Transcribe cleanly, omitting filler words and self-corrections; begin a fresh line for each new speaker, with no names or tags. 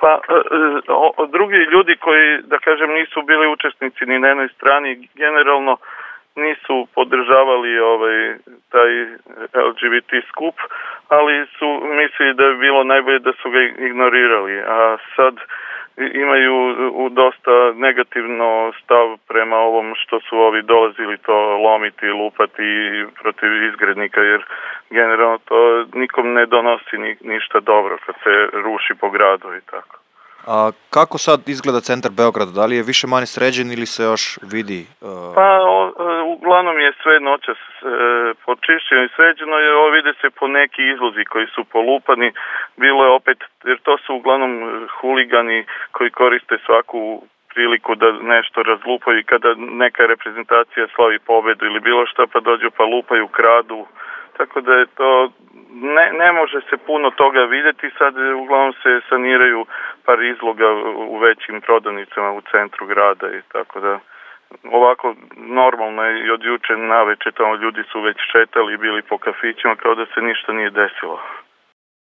Pa drugi ljudi koji, da kažem, nisu bili učesnici ni na jednoj strani, generalno nisu podržavali taj LGBT skup, ali su mislili da bi bilo najbolje da su ga ignorirali, a sad imaju dosta negativno stav prema ovom što su ovi dolazili to lomiti, lupati protiv izgrednika, jer generalno to nikom ne donosi ništa dobro kad se ruši po gradu i tako.
A kako sad izgleda centar Beograda? Da li je više manje sređen ili se još vidi?
Pa uglavnom je sve noćas počišćeno i sređeno, jer vide se po neki izlozi koji su polupani. Bilo je opet, jer to su uglavnom huligani koji koriste svaku priliku da nešto razlupaju i kada neka reprezentacija slavi pobedu ili bilo što, pa dođu pa lupaju, kradu. Tako da je to, ne može se puno toga vidjeti, sad uglavnom se saniraju par izloga u većim prodavnicama u centru grada i tako da ovako normalno je i od juče navečer tamo ljudi su već šetali i bili po kafićima kao da se ništa nije desilo.